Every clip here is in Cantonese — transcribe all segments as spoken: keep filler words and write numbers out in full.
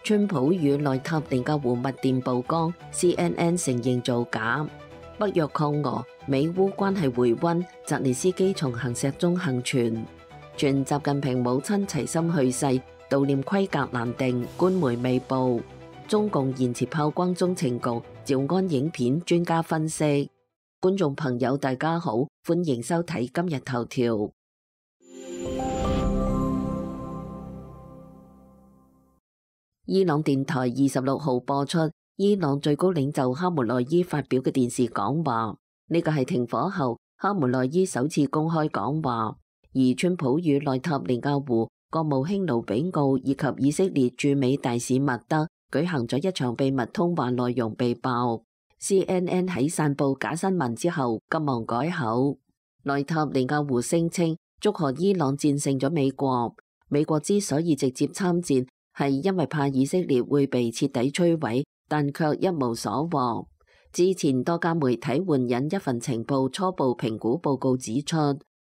川普與內塔尼亞胡密電曝光 ，C N N 承認造假。北約抗俄，美烏關係回溫，澤連斯基從行石中幸存。傳習近平母親齊心去世，悼念規格難定，官媒未報。中共延遲炮轟中情局，趙安影片專家分析。觀眾朋友大家好，歡迎收睇今日頭條。伊朗電台二十六號播出伊朗最高領袖哈梅內伊發表嘅電視講話，呢個係停火後哈梅內伊首次公開講話。而川普與內塔尼亞胡、國務卿盧比奧以及以色列駐美大使麥德舉行咗一場秘密通話，內容被爆。C N N 喺散布假新聞之後急忙改口。內塔尼亞胡聲稱祝賀伊朗戰勝咗美國，美國之所以直接參戰係因為怕以色列會被徹底摧毀，但卻一無所獲。之前多家媒體援引一份情報初步評估報告指出，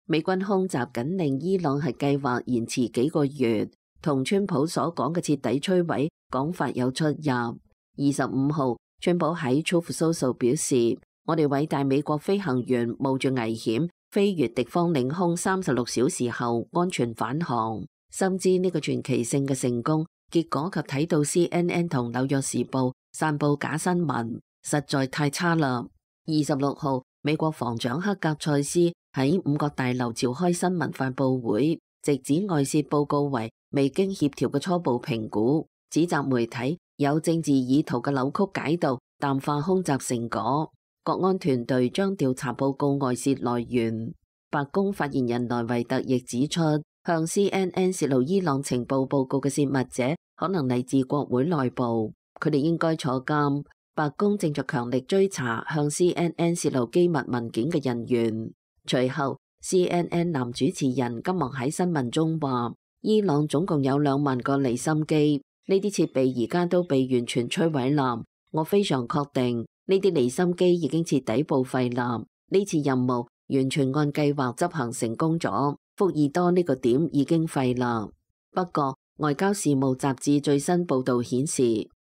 美軍空襲僅令伊朗核計劃延遲幾個月，同川普所講嘅徹底摧毀講法有出入。二十五號，川普喺 Truth Social 表示，我哋偉大美國飛行員冒住危險飛越敵方領空三十六小時後安全返航，深知呢個傳奇性嘅成功，結果及睇到 C N N 同紐約時報散布假新聞，實在太差啦。二十六號，美國防長克格塞斯喺五角大樓召開新聞發佈會，直指外泄報告為未經協調嘅初步評估，指責媒體有政治意圖嘅扭曲解讀，淡化空襲成果。國安團隊將調查報告外泄來源。白宮發言人萊維特亦指出，向 C N N 泄露伊朗情報報告嘅泄密者可能嚟自國會內部，佢哋應該坐監。白宮正在強力追查向 C N N 泄露機密文件嘅人員。隨後 C N N 男主持人急忙喺新聞中話，伊朗總共有兩萬個離心機，呢啲設備而家都被完全摧毀啦。我非常確定呢啲離心機已經徹底報廢啦。呢次任務完全按計劃執行成功咗，福爾多呢個點已經廢啦。不過外交事務雜誌最新報道顯示，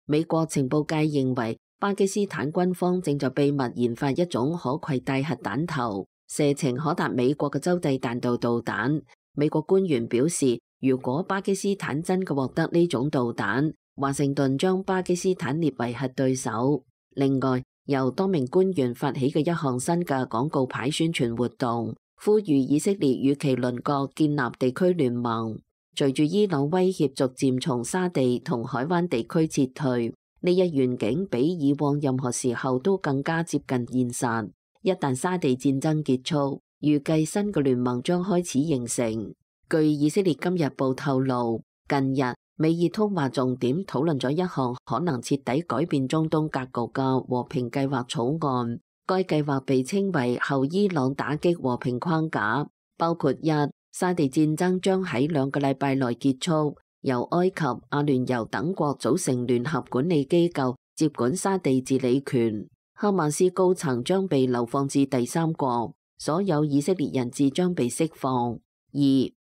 美國情報界認為巴基斯坦軍方正在秘密研發一種可攜帶核彈頭，射程可達美國嘅洲際彈道導彈。美國官員表示，如果巴基斯坦真嘅獲得呢種導彈，華盛頓將巴基斯坦列為核對手。另外，由多名官員發起嘅一項新嘅廣告牌宣傳活動，呼籲以色列與其鄰國建立地區聯盟。隨住伊朗威脅逐漸從沙地同海灣地區撤退，呢一願景比以往任何時候都更加接近現實。一旦沙地戰爭結束，預計新嘅聯盟將開始形成。據以色列今日報透露，近日美伊通話重點討論咗一項可能徹底改變中東格局嘅和平計劃草案。該計劃被稱為後伊朗打擊和平框架，包括一、沙地戰爭將喺兩個禮拜內結束，由埃及、阿聯酋等國組成聯合管理機構接管沙地治理權，哈馬斯高層將被流放至第三國，所有以色列人質將被釋放。二、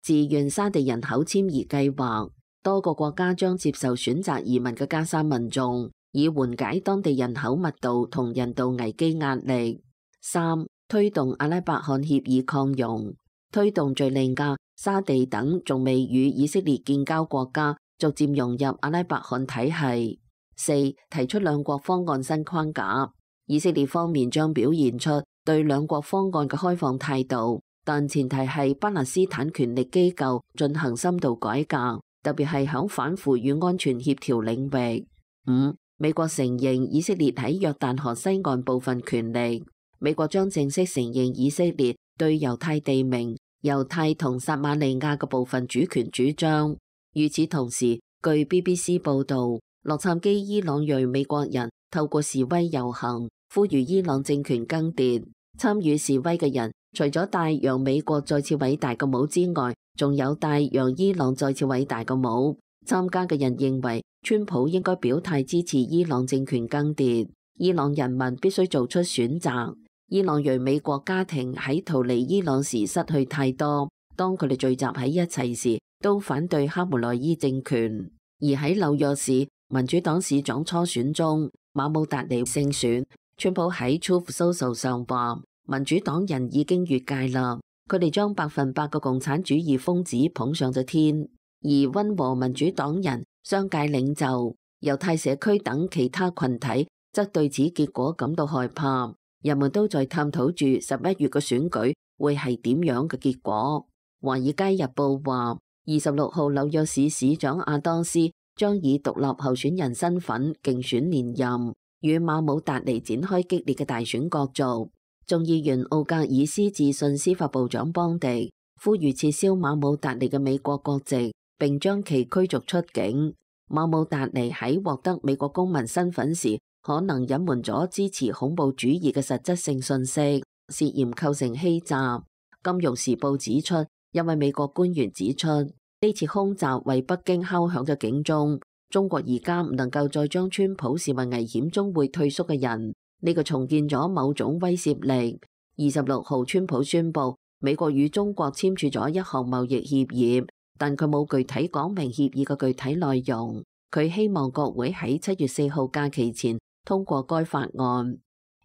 自願沙地人口遷移計劃，多個國家將接受選擇移民嘅加沙民眾，以緩解當地人口密度同人道危機壓力。三、推動阿拉伯罕協議擴容，推動敘利亞、沙地等仲未與以色列建交國家逐漸融入阿拉伯罕體系。四、提出兩國方案新框架，以色列方面將表現出對兩國方案嘅開放態度，但前提係巴勒斯坦權力機構進行深度改革，特別係響反腐與安全協調領域。五、美國承認以色列喺約旦河西岸部分權力，美國將正式承認以色列對猶太地名、猶太同撒馬利亞嘅部分主權主張。與此同時，據 B B C 報導，洛杉磯伊朗裔美國人透過示威遊行，呼籲伊朗政權更迭。參與示威嘅人除咗戴讓美國再次偉大嘅帽之外，仲有戴讓伊朗再次偉大嘅帽。參加嘅人認為，川普應該表態支持伊朗政權更迭，伊朗人民必須做出選擇。伊朗裔美國家庭喺逃離伊朗時失去太多，當佢哋聚集喺一齊時，都反對哈梅內伊政權。而喺紐約市，民主黨市長初選中，馬姆達尼勝選。川普喺 Truth Social 上話，民主黨人已經越界啦，佢哋將百分百嘅共產主義瘋子捧上咗天，而溫和民主黨人、商界領袖、猶太社區等其他群體則對此結果感到害怕。人們都在探討住十一月嘅選舉會係點樣嘅結果。華爾街日報話，二十六號紐約市市長亞當斯將以獨立候選人身份競選連任，與馬姆達尼展開激烈嘅大選角逐。眾議員奧格爾斯致信司法部長邦迪，呼籲撤銷馬姆達尼嘅美國國籍，並將其驅逐出境。馬姆達尼喺獲得美國公民身份時，可能隱瞞咗支持恐怖主義嘅實質性信息，涉嫌構成欺詐。金融時報指出，一位美國官員指出，呢次空襲為北京敲響咗警鐘。中國而家唔能夠再將川普視為危險中會退縮嘅人，呢個重建咗某種威懾力。二十六號，川普宣布美國與中國簽署咗一項貿易協議，但佢冇具體講明協議嘅具體內容。佢希望國會喺七月四號假期前通過該法案。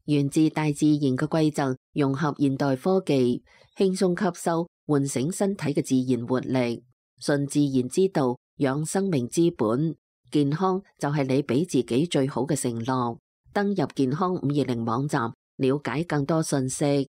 源自大自然嘅規則，融合現代科技，輕鬆吸收，喚醒身體嘅自然活力。順自然之道，養生命之本。健康就係你俾自己最好嘅承諾。登入健康五二零網站，了解更多信息。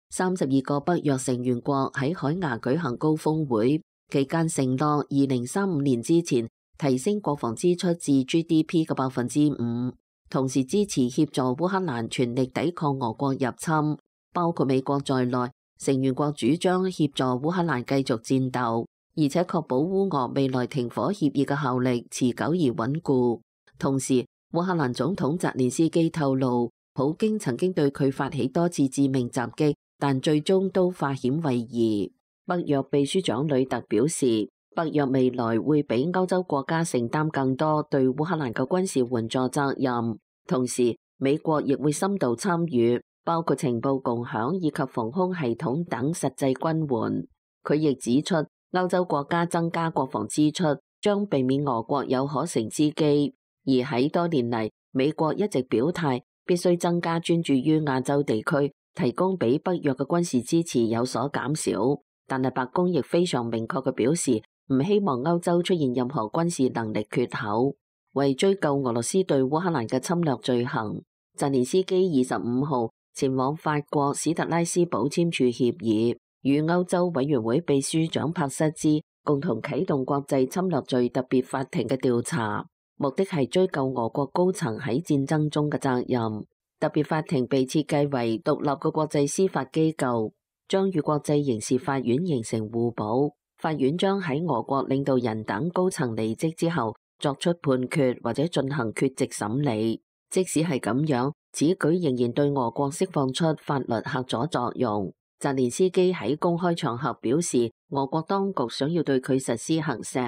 三十二個北約成員國喺海牙舉行高峰會，期間承諾二零三五年之前提升國防支出至 G D P 嘅百分之五，同時支持協助烏克蘭全力抵抗俄國入侵，包括美國在內。成員國主張協助烏克蘭繼續戰鬥，而且確保烏俄未來停火協議嘅效力持久而穩固。同時，烏克蘭總統澤連斯基透露，普京曾經對佢發起多次致命襲擊，但最終都化險為夷。北約秘書長呂特表示，北約未來會比歐洲國家承擔更多對烏克蘭嘅軍事援助責任，同時美國亦會深度參與，包括情報共享以及防空系統等實際軍援。佢亦指出，歐洲國家增加國防支出將避免俄國有可乘之機。而喺多年嚟，美國一直表態必須增加專注於亞洲地區，提供俾北約嘅軍事支持有所減少。但係白宮亦非常明確嘅表示，唔希望歐洲出現任何軍事能力缺口。為追究俄羅斯對烏克蘭嘅侵略罪行，澤連斯基二十五號前往法國史特拉斯堡簽署協議，與歐洲委員會秘書長帕瑟茲共同啟動國際侵略罪特別法庭嘅調查，目的係追究俄國高層喺戰爭中嘅責任。特別法庭被設計為獨立嘅國際司法機構，將與國際刑事法院形成互補。法院將喺俄國領導人等高層離職之後作出判決或者進行缺席審理。即使係咁樣，此舉仍然對俄國釋放出法律嚇阻作用。澤連斯基喺公開場合表示，俄國當局想要對佢實施核石。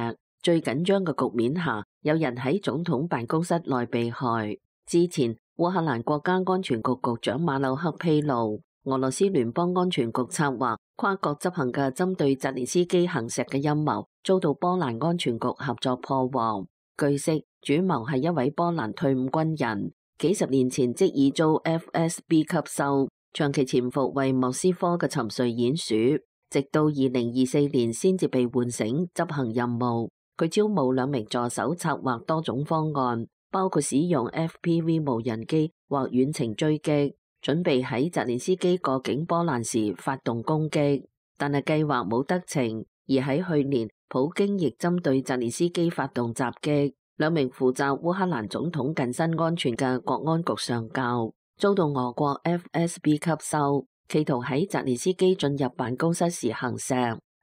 最緊張嘅局面下，有人喺總統辦公室內被害。之前，烏克蘭國家安全局局長馬柳克披露，俄羅斯聯邦安全局策劃跨國執行嘅針對澤連斯基行石嘅陰謀，遭到波蘭安全局合作破獲。據悉，主謀係一位波蘭退伍軍人，幾十年前即已遭 F S B 吸收，長期潛伏為莫斯科嘅沉睡鼹鼠，直到二零二四年先至被喚醒執行任務。佢招募兩名助手，策劃多種方案，包括使用 F P V 無人機或遠程追擊，準備喺澤連斯基過境波蘭時發動攻擊。但係計劃冇得逞，而喺去年，普京亦針對澤連斯基發動襲擊。兩名負責烏克蘭總統近身安全嘅國安局上校遭到俄國 F S B 吸收，企圖喺澤連斯基進入辦公室時行石，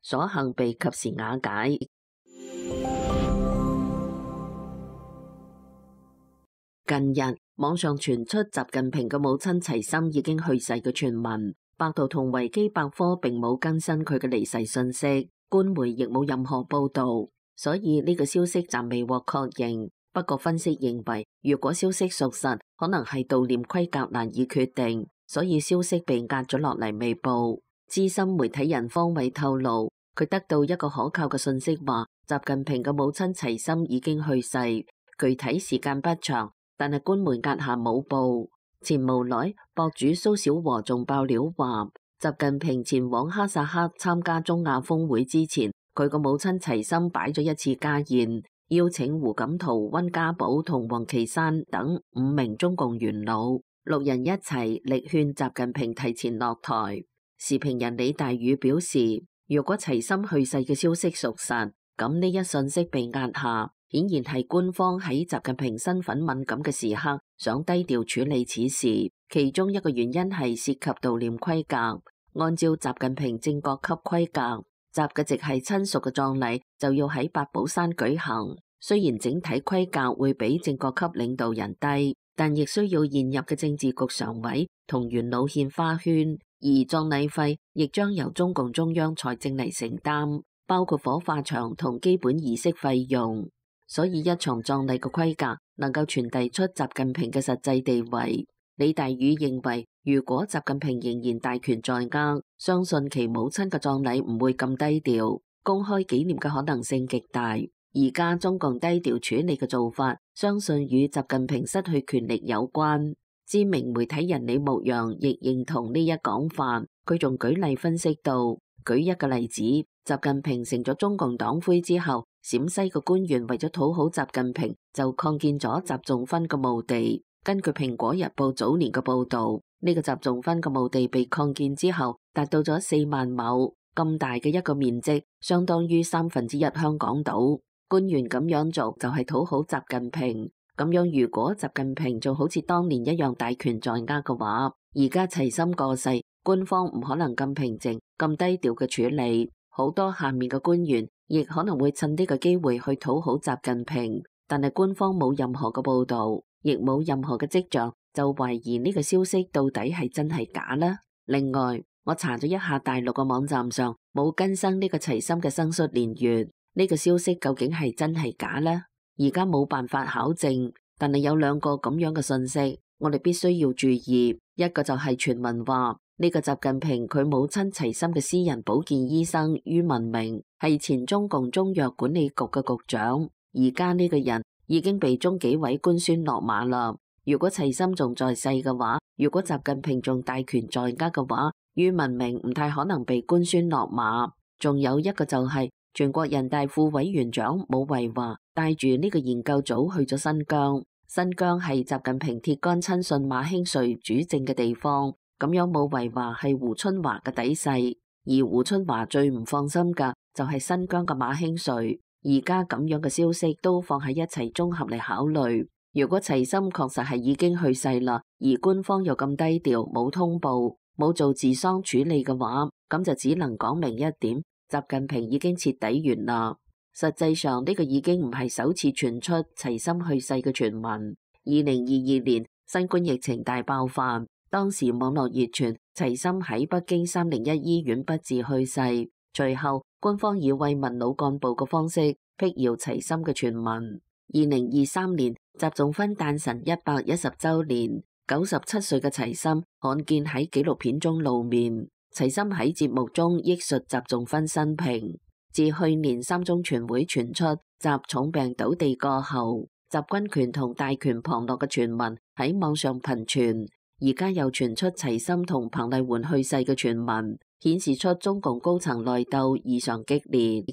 所幸被及時瓦解。近日網上傳出習近平嘅母親齊心已經去世嘅傳聞，百度同維基百科並冇更新佢嘅離世信息，官媒亦冇任何報道，所以呢個消息暫未獲確認。不過分析認為，如果消息屬實，可能係悼念規格難以決定，所以消息被壓咗落嚟未報。資深媒體人方偉透露，佢得到一個可靠嘅信息，話習近平嘅母親齊心已經去世，具體時間不詳，但係官媒壓下冇報。前無來博主蘇小和仲爆料話，習近平前往哈薩克參加中亞峰會之前，佢個母親齊心擺咗一次家宴，邀請胡錦濤、溫家寶同王岐山等五名中共元老，六人一齊力勸習近平提前落台。時評人李大宇表示，如果齊心去世嘅消息屬實，咁呢一信息被壓下，顯然係官方喺習近平身份敏感嘅時刻想低調處理此事。其中一個原因係涉及悼念規格，按照習近平正國級規格，習嘅直系親屬嘅葬禮就要喺八寶山舉行。雖然整體規格會比正國級領導人低，但亦需要現入嘅政治局常委同元老獻花圈。而葬禮費亦將由中共中央財政嚟承擔，包括火化場同基本儀式費用。所以一場葬禮嘅規格能夠傳遞出習近平嘅實際地位。李大宇認為，如果習近平仍然大權在握，相信其母親嘅葬禮唔會咁低調，公開紀念嘅可能性極大。而家中共低調處理嘅做法，相信與習近平失去權力有關。知名媒體人李牧陽亦認同呢一講法，佢仲舉例分析到，舉一個例子，習近平成咗中共黨魁之後，陝西嘅官員為咗討好習近平，就擴建咗習仲勳嘅墓地。根據蘋果日報早年嘅報道，呢個習仲勳嘅墓地被擴建之後，達到咗四萬畝咁大嘅一個面積，相當於三分之一香港島。官員咁樣做就係討好習近平。咁樣如果習近平仲好似當年一樣大權在握嘅話，而家齊心過世，官方唔可能咁平靜、咁低調嘅處理，好多下面嘅官員亦可能會趁呢個機會去討好習近平，但係官方冇任何嘅報道，亦冇任何嘅跡象，就懷疑呢個消息到底係真係假呢？另外，我查咗一下大陸嘅網站上冇更新呢個齊心嘅生卒年月，呢個消息究竟係真係假呢？而家冇辦法考證，但係有兩個咁樣嘅信息，我哋必須要注意。一個就係傳聞話呢個習近平佢母親齊心嘅私人保健醫生于文明係前中共中藥管理局嘅局長，而家呢個人已經被中紀委官宣落馬啦。如果齊心仲在世嘅話，如果習近平仲大權在握嘅話，于文明唔太可能被官宣落馬。仲有一個就係、是、全國人大副委員長武維華帶住呢個研究組去咗新疆，新疆係習近平鐵桿親信馬興瑞主政嘅地方，咁樣武維華係胡春華嘅底細，而胡春華最唔放心嘅就係新疆嘅馬興瑞，而家咁樣嘅消息都放喺一齊綜合嚟考慮。如果齊心確實係已經去世啦，而官方又咁低調，冇通報，冇做治喪處理嘅話，咁就只能講明一點，習近平已經徹底完啦。實際上呢個已經唔係首次傳出齊心去世嘅傳聞。二零二二年新冠疫情大爆發，當時網絡熱傳齊心喺北京三零一醫院不治去世，隨後官方以慰問老幹部嘅方式闢謠齊心嘅傳聞。二零二三年習仲勳誕辰一百一十周年，九十七歲嘅齊心罕見喺紀錄片中露面。齊心喺節目中憶述習仲勳生平。自去年三中全會傳出習重病倒地過後，習軍權同大權旁落嘅傳聞喺網上頻傳，而家又傳出齊心同彭麗媛去世嘅傳聞，顯示出中共高層內鬥異常激烈。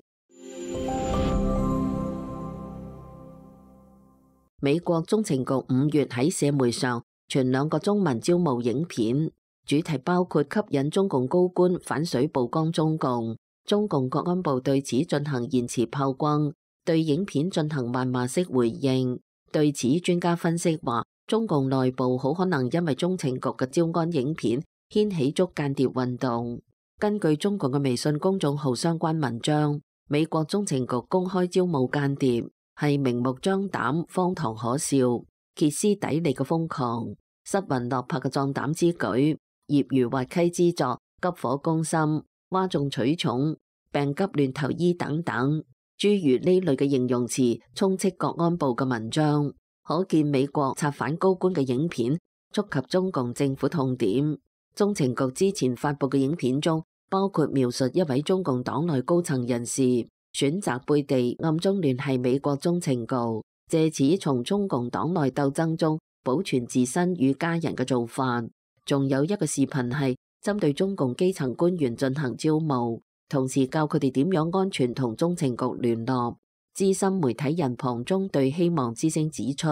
美國中情局五月喺社媒上傳兩個中文招募影片，主題包括吸引中共高官反水曝光中共。中共國安部對此進行言辭炮轟，對影片進行謾罵式回應。對此，專家分析話，中共內部好可能因為中情局嘅招安影片掀起捉間諜運動。根據中共嘅微信公眾號相關文章，美國中情局公開招募間諜，係明目張膽、荒唐可笑、歇斯底里嘅瘋狂、失魂落魄嘅壯膽之舉，業餘滑稽之作，急火攻心、嘩眾取寵、病急亂投醫等等，諸如呢類嘅形容詞充斥國安部嘅文章，可見美國策反高官嘅影片觸及中共政府痛點。中情局之前發佈嘅影片中包括描述一位中共黨內高層人士選擇背地暗中聯繫美國中情局，借此從中共黨內鬥爭中保存自身與家人嘅做法。仲有一個視頻係針對中共基層官員進行招募，同時教佢哋點樣安全同中情局聯絡。資深媒體人龐中對希望之聲指出，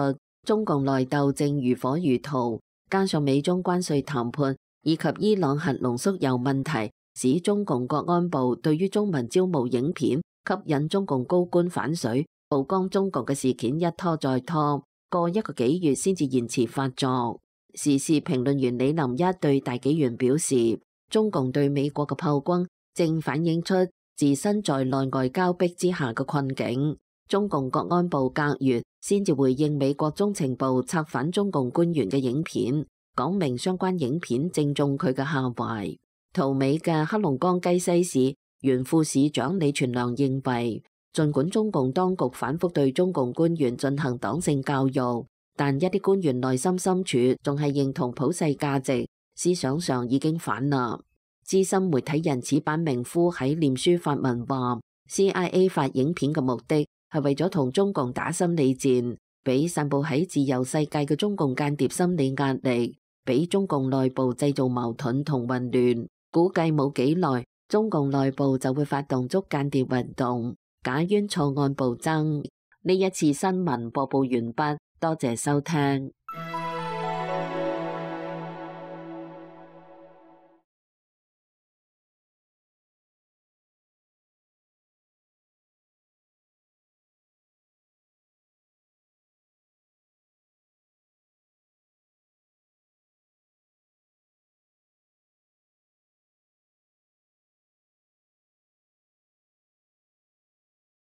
中共內鬥正如火如荼，加上美中關稅談判以及伊朗核濃縮鈾問題，使中共國安部對於中文招募影片吸引中共高官反水，曝光中共嘅事件一拖再拖，過一個幾月先至延遲發作。時事評論員李林一對大紀元表示，中共對美國嘅炮轟正反映出自身在內外交迫之下嘅困境。中共國安部隔月先至回應美國中情部策反中共官員嘅影片，講明相關影片正中佢嘅下懷。逃美嘅黑龍江雞西市原副市長李全良認為，儘管中共當局反覆對中共官員進行黨性教育，但一啲官員內心深處仲係認同普世價值，思想上已經反啦。資深媒體人矢板明夫喺臉書發文話 ，C I A 發影片嘅目的係為咗同中共打心理戰，俾散布喺自由世界嘅中共間諜心理壓力，俾中共內部製造矛盾同混亂。估計冇幾耐，中共內部就會發動捉間諜運動，假冤錯案暴增。呢一次新聞播報完畢，多謝收聽。